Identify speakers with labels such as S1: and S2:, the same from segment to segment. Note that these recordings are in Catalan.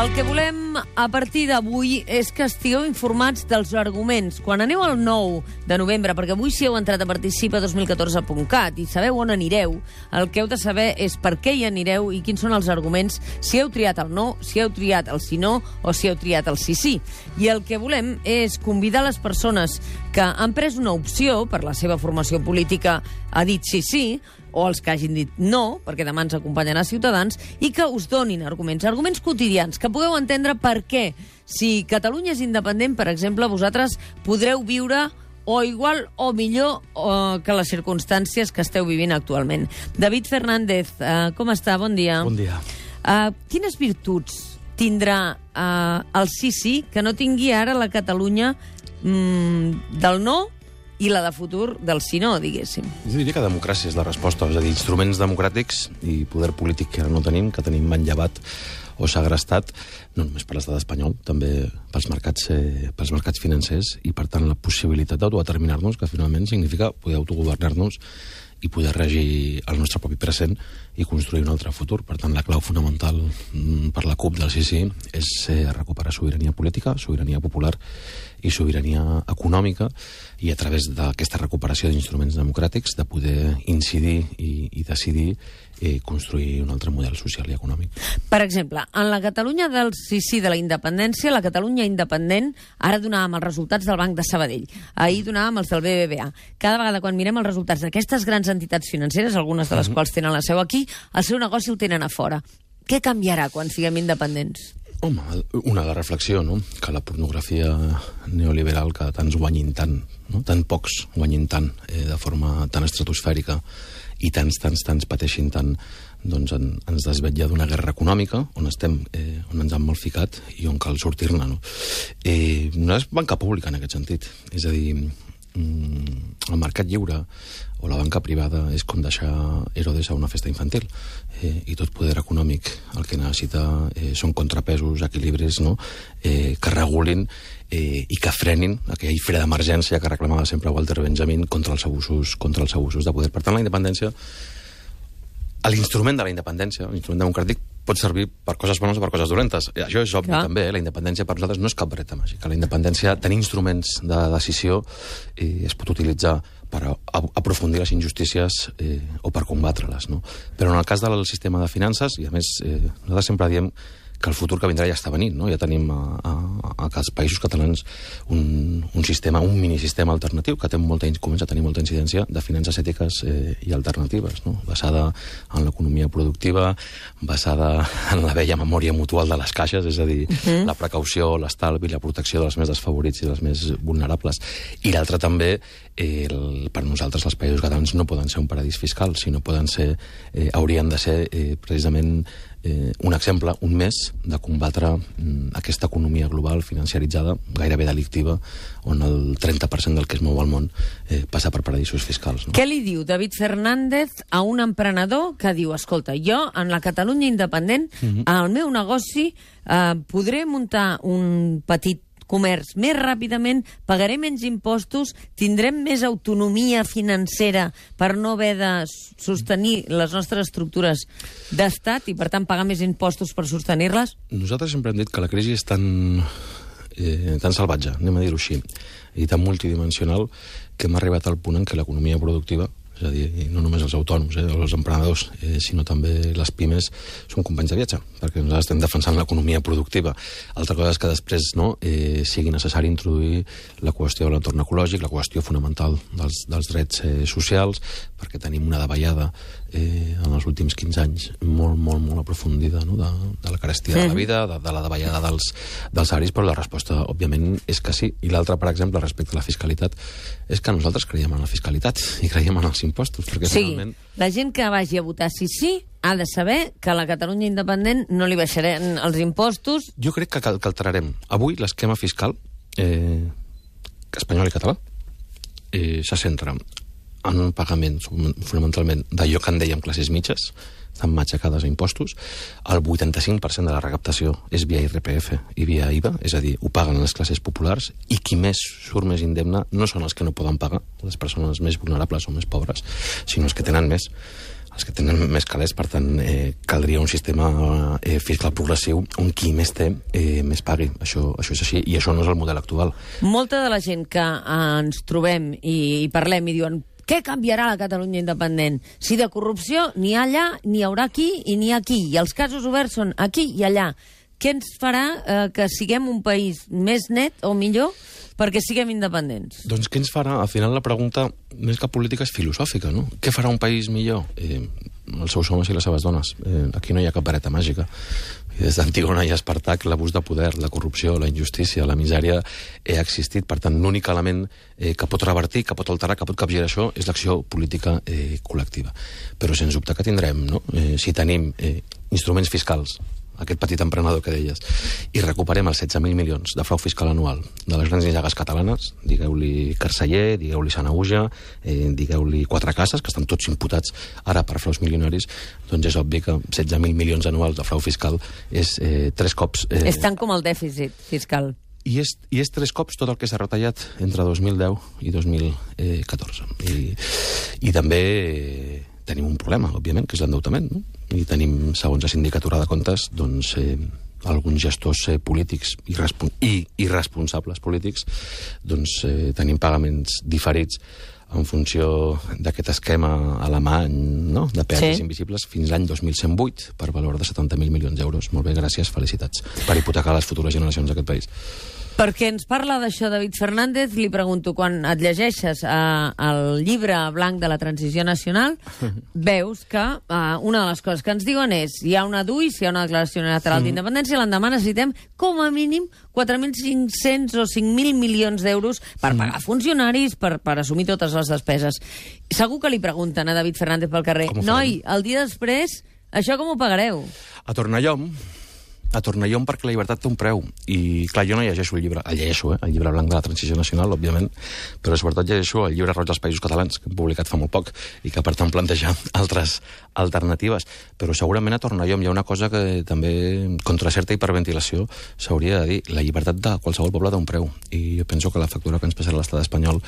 S1: El que volem a partir d'avui és que estigueu informats dels arguments. Quan aneu al 9 de novembre, perquè avui si heu entrat a participa2014.cat i sabeu on anireu, el que heu de saber és per què hi anireu i quins són els arguments, si heu triat el no, si heu triat el sí no o si heu triat el sí sí. I el que volem és convidar les persones que han pres una opció per la seva formació política, ha dit sí sí, o els que hagin dit no, perquè demà ens acompanyen a Ciutadans, i que us donin arguments quotidians, que pugueu entendre per què. Si Catalunya és independent, per exemple, vosaltres podreu viure o igual o millor que les circumstàncies que esteu vivint actualment. David Fernández, com està? Bon dia.
S2: Bon dia.
S1: Quines virtuts tindrà el sí que no tingui ara la Catalunya del no i la de futur del sí no, diguéssim?
S2: Jo diria que democràcia és la resposta. És a dir, instruments democràtics i poder polític que ara no tenim, que tenim manllevat o segrestat, no només per l'estat espanyol, també pels mercats financers, i per tant la possibilitat d'autodeterminar-nos, que finalment significa poder autogovernar-nos i poder regir el nostre propi present i construir un altre futur. Per tant, la clau fonamental per la CUP del sí és recuperar sobirania política, sobirania popular i sobirania econòmica, i a través d'aquesta recuperació d'instruments democràtics de poder incidir i decidir construir un altre model social i econòmic.
S1: Per exemple, en la Catalunya del sí de la independència, la Catalunya independent, ara donàvem els resultats del Banc de Sabadell, ahir donàvem els del BBVA. Cada vegada quan mirem els resultats d'aquestes grans entitats financeres, algunes de les quals tenen la seu aquí, el seu negoci el tenen a fora. Què canviarà quan siguem independents?
S2: Home, una de reflexió, no? Que la pornografia neoliberal, que tants guanyin tant, no? Tan pocs guanyin tant, de forma tan estratosfèrica, i tants pateixin tant, doncs ens desvetlla d'una guerra econòmica on estem, on ens han mal ficat i on cal sortir-ne, no? No és banca pública en aquest sentit. És a dir, el mercat lliure o la banca privada és com deixar Herodes a una festa infantil, i tot poder econòmic el que necessita són contrapesos, equilibris, no? Que regulin i que frenin aquell fre d'emergència que reclamava sempre Walter Benjamin contra els abusos de poder. Per tant, la independència, l'instrument de la independència, l'instrument democràtic, pot servir per coses bones o per coses dolentes. Això és obvi, també. La independència per nosaltres no és cap vareta màgica. La independència, tenir instruments de decisió, es pot utilitzar per aprofundir les injustícies o per combatre-les, no? Però en el cas del sistema de finances, i a més nosaltres sempre diem que el futur que vindrà ja està venint, no? Ja tenim als països catalans un minisistema alternatiu que comença a tenir molta incidència de finances ètiques i alternatives, no? Basada en l'economia productiva, basada en la vella memòria mutual de les caixes, és a dir, la precaució, l'estalvi, la protecció dels més desfavorits i dels més vulnerables. I l'altre també, per nosaltres els països catalans no poden ser un paradís fiscal, sinó haurien de ser precisament un exemple, un més, de combatre aquesta economia global financiaritzada, gairebé delictiva, on el 30% del que es mou al món passa per paradisos fiscals, no?
S1: Què li diu David Fernández a un emprenedor que diu, escolta, jo en la Catalunya independent, al meu negoci podré muntar un petit comerç més ràpidament, pagaré menys impostos, tindrem més autonomia financera per no haver de sostenir les nostres estructures d'estat i, per tant, pagar més impostos per sostenir-les? Nosaltres
S2: sempre hem dit que la crisi és tan salvatge, anem a dir-ho així, i tan multidimensional, que hem arribat al punt en què l'economia productiva, és a dir, no només els autònoms o els emprenedors, sinó també les pimes, són companys de viatge, perquè nosaltres estem defensant l'economia productiva. Altra cosa és que després sigui necessari introduir la qüestió de l'entorn ecològic, la qüestió fonamental dels drets socials, perquè tenim una davallada en els últims 15 anys molt aprofundida, no? De la carestia de la vida, de la davallada dels salaris, però la resposta, òbviament, és que sí. I l'altra, per exemple, respecte a la fiscalitat, és que nosaltres creiem en la fiscalitat i creiem en els impostos, perquè finalment...
S1: La gent que vagi a votar sí ha de saber que a la Catalunya independent no li baixaran els impostos.
S2: Jo crec que alterarem. Avui l'esquema fiscal espanyol i català se centra en un pagament, fonamentalment, d'allò que en dèiem classes mitges, estan matxacades a impostos. El 85% de la recaptació és via IRPF i via IVA, és a dir, ho paguen les classes populars, i qui més surt més indemne no són els que no poden pagar, les persones més vulnerables o més pobres, sinó els que tenen més. els que tenen més calés, per tant, caldria un sistema fiscal progressiu on qui més té més pagui. Això és així, i això no és el model actual.
S1: Molta de la gent que ens trobem i parlem i diuen què canviarà la Catalunya independent? Si de corrupció n'hi ha allà, n'hi haurà aquí i n'hi ha aquí, i els casos oberts són aquí i allà. Què ens farà que siguem un país més net o millor perquè siguem independents?
S2: Doncs què ens farà? Al final la pregunta, més que política, és filosòfica, no? Què farà un país millor? Els seus homes i les seves dones. Aquí no hi ha cap vareta màgica. Des d'Antígona i Espartac, l'abús de poder, la corrupció, la injustícia, la misèria ha existit. Per tant, l'únic element que pot revertir, que pot alterar, que pot capgirar això, és l'acció política col·lectiva. Però sens dubte que tindrem, no? Si tenim instruments fiscals, aquest petit emprenedor que deies, i recuperem els 16.000 milions de frau fiscal anual de les grans llagues catalanes, digueu-li Carceller, digueu-li Sanaüja, digueu-li Quatre Cases, que estan tots imputats ara per fraus milionaris, doncs és obvi que 16.000 milions anuals de frau fiscal és 3 cops...
S1: És tant com el dèficit fiscal.
S2: I és 3 cops tot el que s'ha retallat entre 2010 i 2014. I també tenim un problema, òbviament, que és l'endeutament, no? I tenim, segons la Sindicatura de Comptes, doncs, alguns gestors polítics i irresponsables polítics, doncs tenim pagaments diferits en funció d'aquest esquema alemany, no?, de peatges invisibles fins l'any 2108 per valor de 70.000 milions d'euros. Molt bé, gràcies, felicitats, per hipotecar les futures generacions d'aquest país.
S1: Perquè ens parla d'això David Fernández, li pregunto, quan et llegeixes el llibre blanc de la transició nacional, veus que una de les coses que ens diuen és hi ha una DUI, hi ha una declaració unilateral d'independència, l'endemà necessitem com a mínim 4.500 o 5.000 milions d'euros per pagar funcionaris, per assumir totes les despeses. Segur que li pregunten a David Fernández pel carrer, noi, el dia després, això com ho pagareu?
S2: A Tornallom, perquè la llibertat té un preu. I, clar, jo no llegeixo el llibre, el llibre blanc de la transició nacional, òbviament, però sobretot llegeixo el llibre roig dels països catalans, que hem publicat fa molt poc, i que, per tant, planteja altres alternatives. Però segurament a Tornallom hi ha una cosa que també, contra certa hiperventilació, s'hauria de dir. La llibertat de qualsevol poble té un preu. I jo penso que la factura que ens passarà l'estat espanyol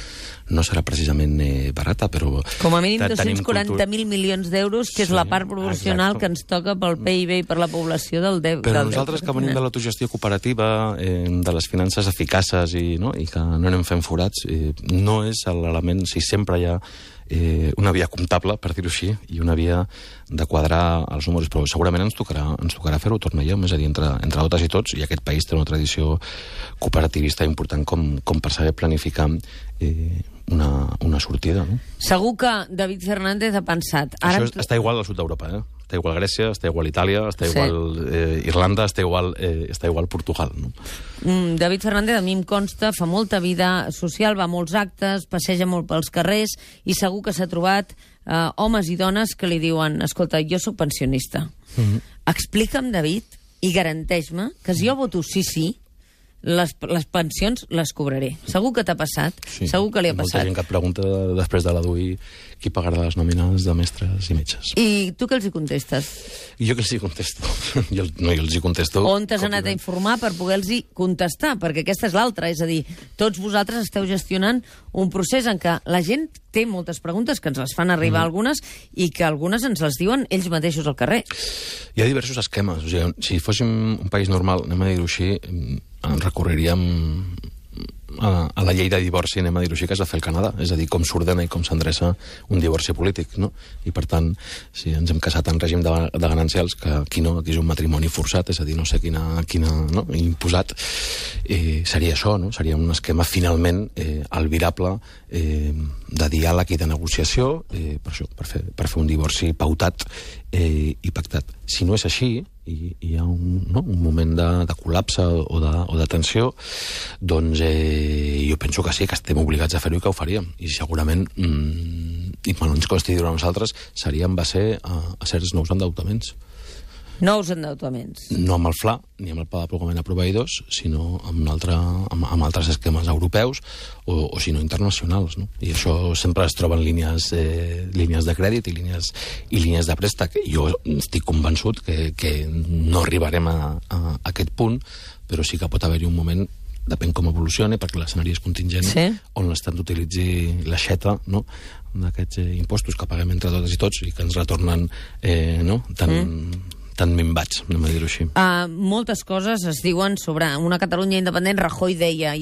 S2: no serà precisament barata, però...
S1: Com a mínim 240.000 milions d'euros, que és la part proporcional que ens toca pel PIB i per la població del deute.
S2: Però nosaltres que venim de l'autogestió cooperativa, de les finances eficaces i que no anem fent forats, no és l'element, si sempre hi ha una via comptable, per dir-ho així, i una via de quadrar els números, però segurament ens tocarà fer-ho, Tornallom, és a dir, entre totes i tots, i aquest país té una tradició cooperativista important com per saber planificar una sortida, no?
S1: Segur que David Fernández ha pensat...
S2: Això està igual al sud d'Europa, Està igual Grècia, està igual Itàlia, està igual Irlanda, està igual Portugal, no?
S1: David Fernández, a mi em consta, fa molta vida social, va a molts actes, passeja molt pels carrers, i segur que s'ha trobat homes i dones que li diuen, escolta, jo sóc pensionista. Explica'm, David, i garanteix-me que si jo voto sí, les pensions les cobraré. Segur que t'ha passat, segur que li ha passat.
S2: Molta gent que et pregunta després de la DUI qui pagarà les nòmines de mestres i metges.
S1: I tu què els hi contestes?
S2: I jo què els hi contesto? Jo els hi contesto...
S1: On t'has anat a informar per poder-los contestar? Perquè aquesta és l'altra, és a dir, tots vosaltres esteu gestionant un procés en què la gent té moltes preguntes, que ens les fan arribar algunes, i que algunes ens les diuen ells mateixos al carrer.
S2: Hi ha diversos esquemes. O sigui, si fóssim un país normal, anem a dir-ho així, recorreríem a la llei de divorci, anem a dir-ho així, que es va fer al Canadà, és a dir, com s'ordena i com s'endreça un divorci polític, no? I per tant, si ens hem casat en règim de ganancials, que aquí no, aquí és un matrimoni forçat, és a dir, no sé quina no? Imposat, seria això, no? Seria un esquema finalment albirable de diàleg i de negociació, per això, per fer un divorci pautat i pactat. Si no és així, i hi ha un moment de col·lapse o de tensió, doncs jo penso que sí, que estem obligats a fer-ho i que ho faríem. I segurament, i quan ens costi dir-ho a nosaltres, seria en base a certs nous endeutaments.
S1: Nous endeutaments.
S2: No amb el FLA, ni amb el pla d'apropament a proveïdors, sinó amb altres esquemes europeus o si no internacionals, no? I això sempre es troba en línies de crèdit i línies de préstec. Jo estic convençut que no arribarem a aquest punt, però sí que pot haver-hi un moment depèn com evolucioni, perquè l'escenari és contingent, on l'Estat utilitzi l'aixeta, no?, d'aquests impostos que paguem entre totes i tots i que ens retornen tan minvats, anem a dir-ho així.
S1: Moltes coses es diuen sobre una Catalunya independent. Rajoy deia,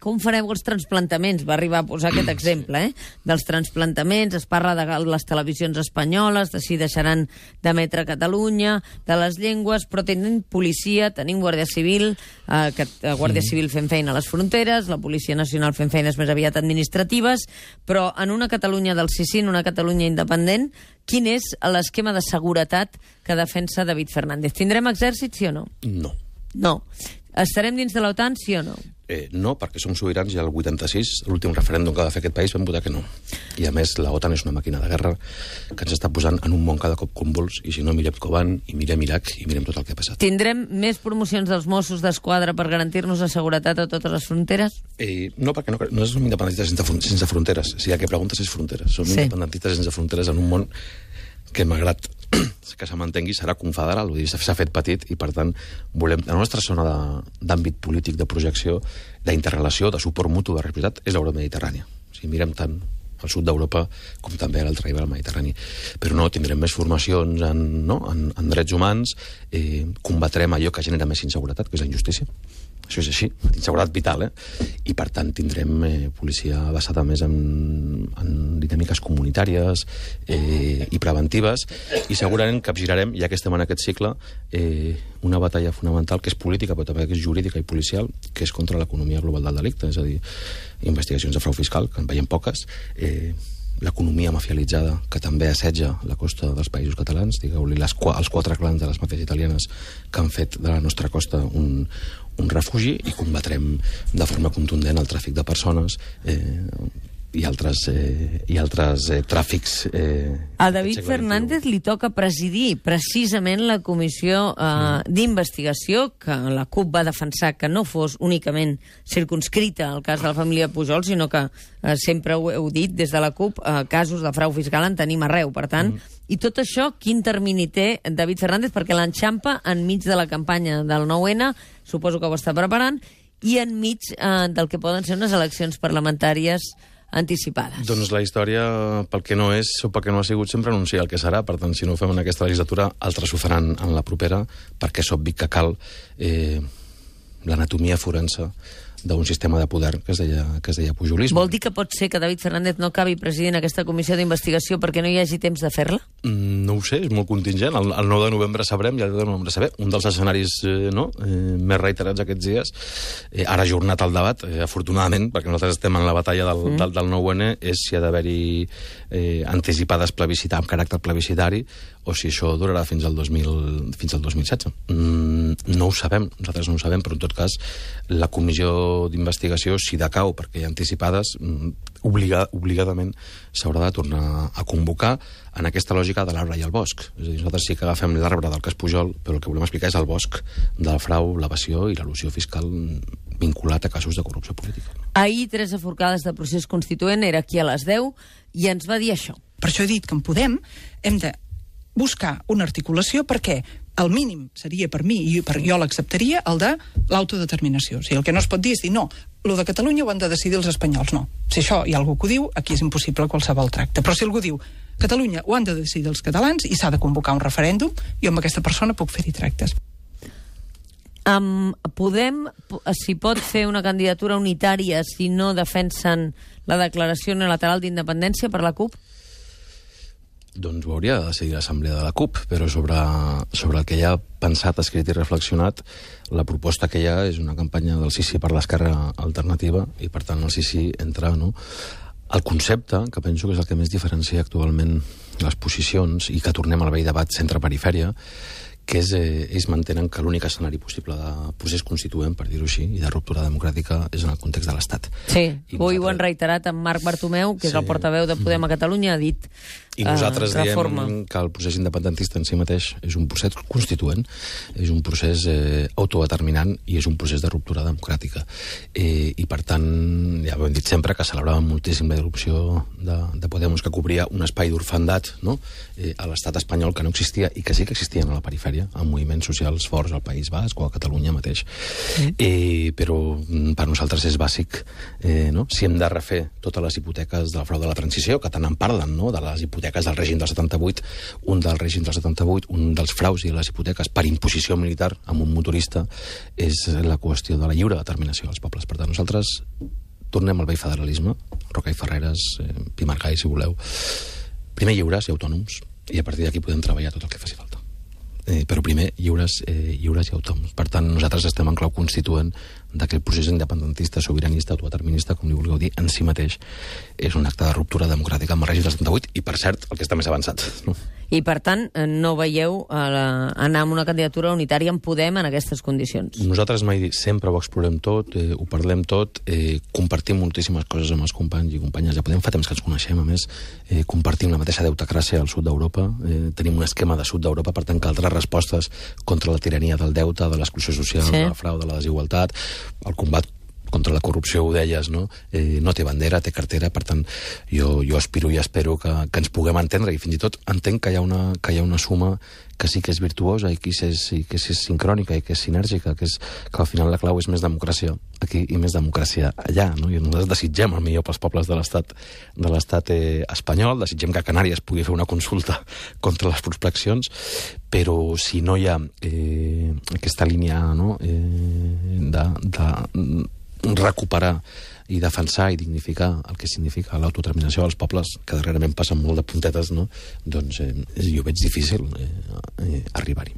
S1: com fareu els transplantaments? Va arribar a posar aquest exemple, dels transplantaments. Es parla de les televisions espanyoles, de si deixaran d'emetre a Catalunya, de les llengües, però tenim policia, tenim Guàrdia Civil, Guàrdia Civil fent feina a les fronteres, la Policia Nacional fent feines més aviat administratives, però en una Catalunya del sí, en una Catalunya independent, quin és l'esquema de seguretat que defensa David Fernández? Tindrem exèrcit, sí o no?
S2: No.
S1: No. Estarem dins de l'OTAN, sí o no?
S2: No, perquè som sobirans i el 86, l'últim referèndum que va fer aquest país, vam votar que no. I a més, l'OTAN és una màquina de guerra que ens està posant en un món cada cop convuls, i si no, mirem Koban, i mirem Iraq, i mirem tot el que ha passat.
S1: Tindrem més promocions dels Mossos d'Esquadra per garantir-nos la seguretat a totes les fronteres?
S2: No, perquè no som independentistes sense fronteres. Si el que preguntes és fronteres. Som independentistes sense fronteres en un món que, malgrat que se mantengui, serà confederal, vull dir, s'ha fet petit i, per tant, volem... La nostra zona d'àmbit polític, de projecció, d'interrelació, de suport mutu, de responsabilitat, és l'Europa mediterrània. O sigui, mirem tant al sud d'Europa com també a l'altre ribera del Mediterrani. Però no, tindrem més formacions en drets humans, combatrem allò que genera més inseguretat, que és la injustícia. Això és així, inseguretat vital, I, per tant, tindrem policia basada més en dinàmiques comunitàries i preventives, i segurament capgirarem, ja que estem en aquest cicle, una batalla fonamental que és política, però també que és jurídica i policial, que és contra l'economia global del delicte, és a dir, investigacions de frau fiscal, que en veiem poques, l'economia mafialitzada, que també assetja la costa dels països catalans, digueu-li els 4 clans de les màfies italianes que han fet de la nostra costa un refugi, i combatrem de forma contundent el tràfic de persones i altres tràfics.
S1: A David Fernández li toca presidir precisament la comissió d'investigació que la CUP va defensar que no fos únicament circunscrita al cas de la família Pujol, sinó que sempre ho heu dit des de la CUP, casos de frau fiscal en tenim arreu. Per tant, i tot això, quin termini té David Fernández? Perquè l'enxampa enmig de la campanya del 9-N, suposo que ho està preparant, i enmig del que poden ser unes eleccions parlamentàries anticipades.
S2: Doncs la història, pel que no és o pel que no ha sigut, sempre anuncia el que serà. Per tant, si no ho fem en aquesta legislatura, altres ho faran en la propera, perquè és obvi que cal l'anatomia forense d'un sistema de poder que es deia pujolisme.
S1: Vol dir que pot ser que David Fernández no acabi presidint aquesta comissió d'investigació perquè no hi hagi temps de fer-la?
S2: No ho sé, és molt contingent. El 9 de novembre sabrem, i el 10 de novembre sabrem. Un dels escenaris més reiterats aquests dies, ara ajornat el debat, afortunadament, perquè nosaltres estem en la batalla del 9-N, és si ha d'haver-hi anticipades amb caràcter plebiscitari, o si això durarà fins al 2016. No ho sabem, nosaltres no ho sabem, però en tot cas la comissió d'investigació, si decau perquè hi ha anticipades, obligadament s'haurà de tornar a convocar en aquesta lògica de l'arbre i el bosc. És a dir, nosaltres sí que agafem l'arbre del cas Pujol, però el que volem explicar és el bosc del frau, l'evasió i l'elusió fiscal vinculat a casos de corrupció política.
S1: Ahir, Teresa Forcades, de Procés Constituent, era aquí a les 10 i ens va dir això.
S3: Per això he dit que en Podem hem de buscar una articulació perquè el mínim seria per mi, i jo l'acceptaria, el de l'autodeterminació. O sigui, el que no es pot dir és dir, no, lo de Catalunya ho han de decidir els espanyols. No. Si això hi ha algú que ho diu, aquí és impossible qualsevol tracte. Però si algú diu, Catalunya ho han de decidir els catalans i s'ha de convocar un referèndum, jo amb aquesta persona puc fer-hi tractes.
S1: Podem, si pot fer una candidatura unitària si no defensen la declaració unilateral d'independència per la CUP?
S2: Doncs ho hauria de decidir l'Assemblea de la CUP, però sobre el que ja ha pensat, escrit i reflexionat, la proposta que hi ha és una campanya del sí per l'esquerra alternativa, i per tant el sí entra, el concepte, que penso que és el que més diferencia actualment les posicions, i que tornem al vell debat centre-perifèria, que ells mantenen que l'únic escenari possible de procés constituent, per dir-ho així, i de ruptura democràtica, és en el context de l'Estat.
S1: Sí, avui ho han reiterat en Marc Bartomeu, que és el portaveu de Podem a Catalunya, ha dit
S2: I nosaltres
S1: reforma.
S2: diem que el procés independentista en si mateix és un procés constituent, és un procés autodeterminant i és un procés de ruptura democràtica. I per tant, ja ho hem dit sempre, que celebràvem moltíssim la irrupció de Podemos, que cobria un espai d'orfandat, no? A l'estat espanyol, que no existia i que sí que existien a la perifèria, amb moviments socials forts al País Basc o a Catalunya mateix. Però per nosaltres és bàsic, no? Si hem de refer totes les hipoteques del frau de la transició, que tant en parlen, no? De les hipoteques del règim del 78, un dels fraus i les hipoteques per imposició militar amb un motorista és la qüestió de la lliure determinació dels pobles. Per tant, nosaltres tornem al vell federalisme, Roca i Ferreres, Pi Margall, si voleu. Primer lliures i autònoms, i a partir d'aquí podem treballar tot el que faci falta. Però primer lliures i autònoms. Per tant, nosaltres estem en clau constituent d'aquest procés independentista, sobiranista, autodeterminista, com li vulgueu dir, en si mateix és un acte de ruptura democràtica amb el règim del 78 i, per cert, el que està més avançat. No?
S1: I, per tant, no veieu anar amb una candidatura unitària en Podem en aquestes condicions?
S2: Nosaltres mai sempre ho explorem tot, ho parlem tot, compartim moltíssimes coses amb els companys i companyes. Ja Podem, fa temps que ens coneixem, a més, compartim la mateixa deutecràcia al sud d'Europa, tenim un esquema de sud d'Europa, per tant, que altres respostes contra la tirania del deute, de l'exclusió social, sí, del frau, de la desigualtat, el combat contra la corrupció, ho deies, no? No té bandera, té cartera, per tant, jo aspiro i espero que ens puguem entendre, i fins i tot entenc que hi ha una suma que sí que és virtuosa i que és sincrònica i que és sinèrgica, que al final la clau és més democràcia aquí i més democràcia allà, no? I nosaltres desitgem el millor pels pobles de l'estat espanyol, desitgem que a Canàries pugui fer una consulta contra les prospeccions, però si no hi ha aquesta línia, no? de recuperar i defensar i dignificar el que significa l'autodeterminació dels pobles, que darrerament passen molt de puntetes, no? Doncs jo veig difícil arribar-hi.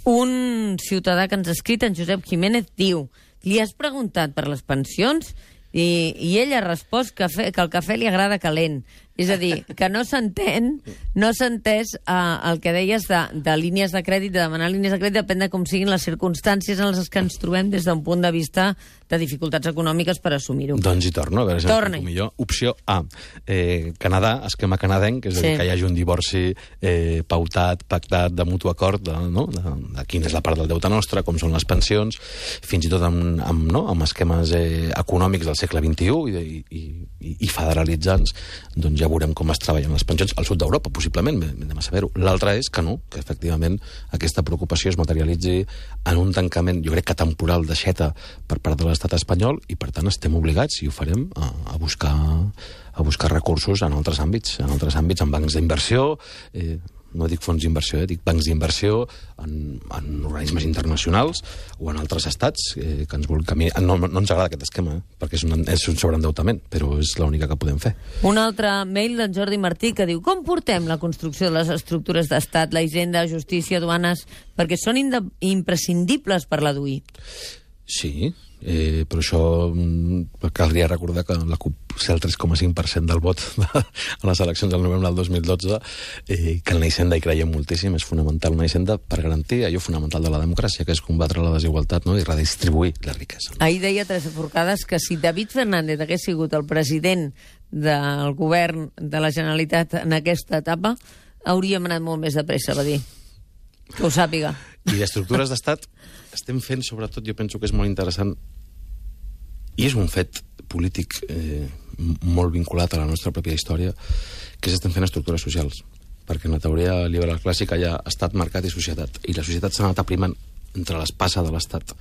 S1: Un ciutadà que ens ha escrit, en Josep Jiménez, diu: li has preguntat per les pensions i ell ha respost que el cafè li agrada calent. És a dir, que no s'ha entès el que deies de línies de crèdit, de demanar línies de crèdit, depèn de com siguin les circumstàncies en les que ens trobem des d'un punt de vista de dificultats econòmiques per assumir-ho.
S2: Doncs hi torno, a veure si m'explico millor. Opció A, Canadà, esquema canadenc, és a dir, que hi hagi un divorci pautat, pactat, de mutu acord, de quina és la part del deute nostre, com són les pensions, fins i tot amb esquemes econòmics del segle XXI i federalitzants, doncs ja veurem com es treballen les pensions al sud d'Europa, possiblement, anem a saber-ho. L'altre és que no, que efectivament aquesta preocupació es materialitzi en un tancament, jo crec que temporal, d'aixeta per part de l'estat espanyol, i per tant estem obligats, i ho farem, a buscar recursos en altres àmbits, en bancs d'inversió, no dic fons d'inversió, dic bancs d'inversió en organismes internacionals o en altres estats que ens vulguin caminar. No ens agrada aquest esquema, perquè és un sobreendeutament, però és l'única que podem fer.
S1: Un altre mail d'en Jordi Martí que diu: com portem la construcció de les estructures d'estat, la hisenda, justícia, aduanes, perquè són imprescindibles per la DUI?
S2: Sí, però això caldria recordar que la CUP sé el 3,5% del vot a les eleccions del novembre del 2012, que en la hisenda hi creiem moltíssim, és fonamental una hisenda per garantir allò fonamental de la democràcia, que és combatre la desigualtat, no? I redistribuir la riquesa.
S1: Ahir deia Teresa Forcades que si David Fernández hagués sigut el president del govern de la Generalitat en aquesta etapa, hauríem anat molt més de pressa, va dir. Que ho sàpiga.
S2: I d'estructures d'estat estem fent, sobretot, jo penso que és molt interessant, i és un fet polític molt vinculat a la nostra pròpia història, que estem fent estructures socials. Perquè en la teoria liberal clàssica hi ha estat, mercat i societat. I la societat s'ha anat aprimant entre l'espasa de l'estat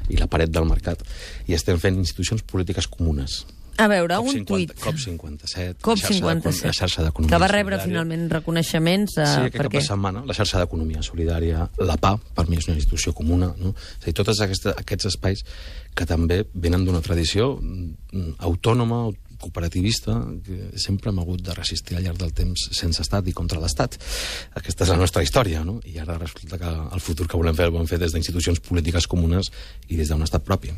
S2: i la paret del mercat, i estem fent institucions polítiques comunes.
S1: A veure, un tuit.
S2: COP57,
S1: COP57,
S2: la xarxa d'economia
S1: que va rebre finalment reconeixements.
S2: Sí, aquest cap de setmana, la xarxa d'economia solidària, la PA, per mi és una institució comuna, no? És a dir, tots aquests espais que també venen d'una tradició autònoma, cooperativista, que sempre hem hagut de resistir al llarg del temps sense estat i contra l'estat. Aquesta és la nostra història, no? I ara resulta que el futur que volem fer el volem fer des d'institucions polítiques comunes i des d'un estat propi.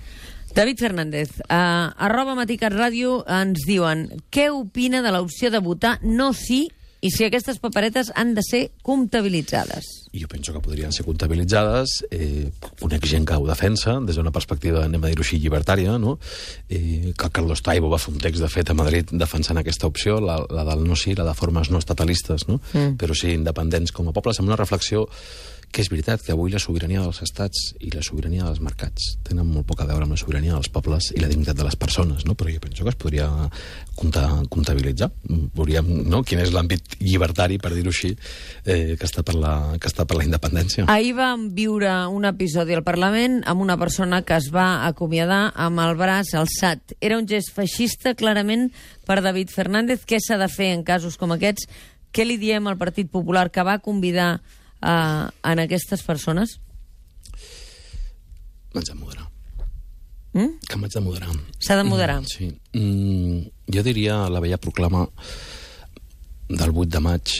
S1: David Fernández, a @MatiCatRàdio ens diuen: què opina de l'opció de votar no sí i si aquestes paperetes han de ser comptabilitzades?
S2: i jo penso que podrien ser comptabilitzades. Conec gent que ho defensa des d'una perspectiva, anem a dir-ho així, llibertària, no? Que Carlos Taibo va fer un text, de fet, a Madrid defensant aquesta opció, la del no sí, la de formes no estatalistes, no? Però sí independents com a pobles, amb una reflexió que és veritat que avui la sobirania dels estats i la sobirania dels mercats tenen molt poc a veure amb la sobirania dels pobles i la dignitat de les persones, no? Però jo penso que es podria comptabilitzar. Veuríem, no?, quin és l'àmbit llibertari, per dir-ho així, que està per la independència.
S1: Ahir vam viure un episodi al Parlament amb una persona que es va acomiadar amb el braç alçat. Era un gest feixista, clarament, per David Fernández. Què s'ha de fer en casos com aquests? Què li diem al Partit Popular que va convidar en aquestes persones?
S2: M'haig de moderar. Que m'haig de moderar.
S1: S'ha de moderar.
S2: Sí. Jo diria la vella proclama del 8 de maig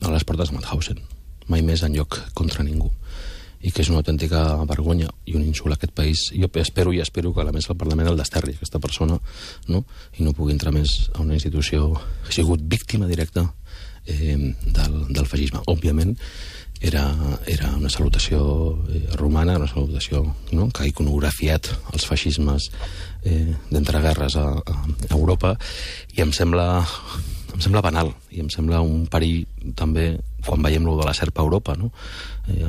S2: a les portes de Mauthausen. Mai més enlloc contra ningú. I que és una autèntica vergonya i un insult a aquest país. Jo espero que a més el Parlament el desterri, aquesta persona, no? I no pugui entrar més a una institució que ha sigut víctima directa del feixisme. Òbviament era una salutació romana, una salutació, no?, que ha iconografiat els feixismes d'entreguerres a Europa, i em sembla banal, i em sembla un perill també quan veiem lo de la serpa a Europa, no?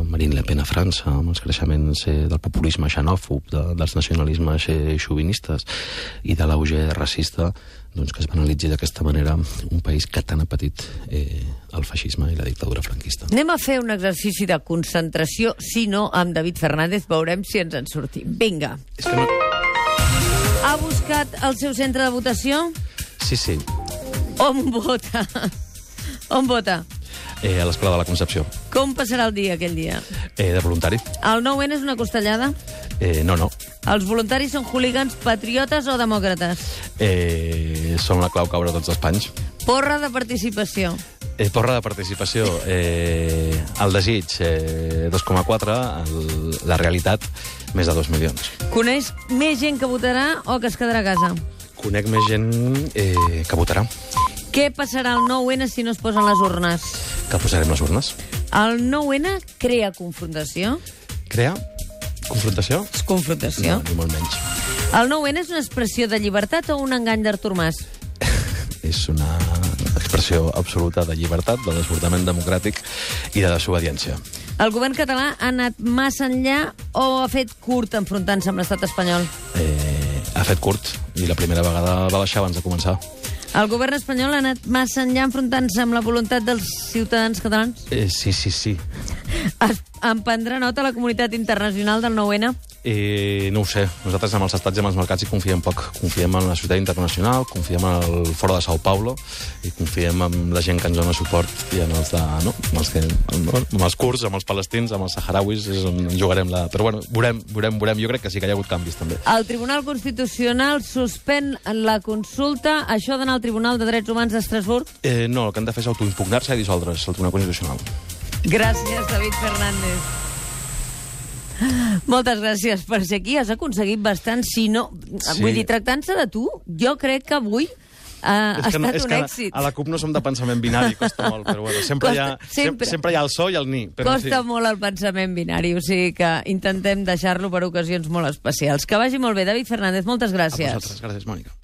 S2: Marine Le Pen a França, amb els creixements del populisme xenòfob, dels nacionalismes xovinistes i de l'auge racista, doncs que es banalitzi d'aquesta manera un país que tant ha patit el feixisme i la dictadura franquista.
S1: Anem a fer un exercici de concentració, si no, amb David Fernández, veurem si ens en sortim. Vinga.
S2: És que no...
S1: Ha buscat el seu centre de votació?
S2: Sí.
S1: On vota? On vota?
S2: A l'Escola de la Concepció.
S1: Com passarà el dia, aquell dia?
S2: De voluntari.
S1: El 9-N és una costellada?
S2: No.
S1: Els voluntaris són hooligans patriotes o demòcrates?
S2: Són la clau caure tots els panys.
S1: Porra de participació?
S2: Porra de participació. El desig, 2,4. La realitat, més de 2 milions.
S1: Coneix més gent que votarà o que es quedarà a casa?
S2: Conec més gent que votarà.
S1: Què passarà al 9-N si no es posen les urnes?
S2: Que posarem les urnes.
S1: El 9-N crea confrontació?
S2: Crea confrontació?
S1: És confrontació.
S2: No, ni molt menys.
S1: El 9-N és una expressió de llibertat o un engany d'Artur Mas?
S2: És una expressió absoluta de llibertat, de desbordament democràtic i de desobediència.
S1: El govern català ha anat massa enllà o ha fet curt enfrontant-se amb l'estat espanyol?
S2: Ha fet curt, i la primera vegada va baixar abans de començar.
S1: El govern espanyol ha anat massa enllà enfrontant-se amb la voluntat dels ciutadans catalans?
S2: Sí.
S1: En prendrà nota la comunitat internacional del 9-N?
S2: No ho sé. Nosaltres amb els estats i amb els mercats hi confiem poc. Confiem en la societat internacional, confiem en el Foro de Sao Paulo i confiem en la gent que ens dona suport i en els amb els kurds, amb els palestins, amb els saharauis, és on jugarem la... Però bueno, veurem. Jo crec que sí que hi ha hagut canvis també.
S1: El Tribunal Constitucional suspèn la consulta. Això d'anar al Tribunal de Drets Humans d'Estrasburg?
S2: No, el que han de fer és autoimpugnar-se i dissoldre's, el Tribunal Constitucional.
S1: Gràcies, David Fernández. Moltes gràcies per ser aquí. Has aconseguit bastant, si no... Sí. Vull dir, tractant-se de tu, jo crec que avui ha estat un èxit.
S2: A la CUP no som de pensament binari, costa molt, però bueno, sempre hi ha el so i el ni. Però
S1: costa molt el pensament binari, o sigui que intentem deixar-lo per ocasions molt especials. Que vagi molt bé. David Fernández, moltes gràcies.
S2: A vosaltres, gràcies, Mònica.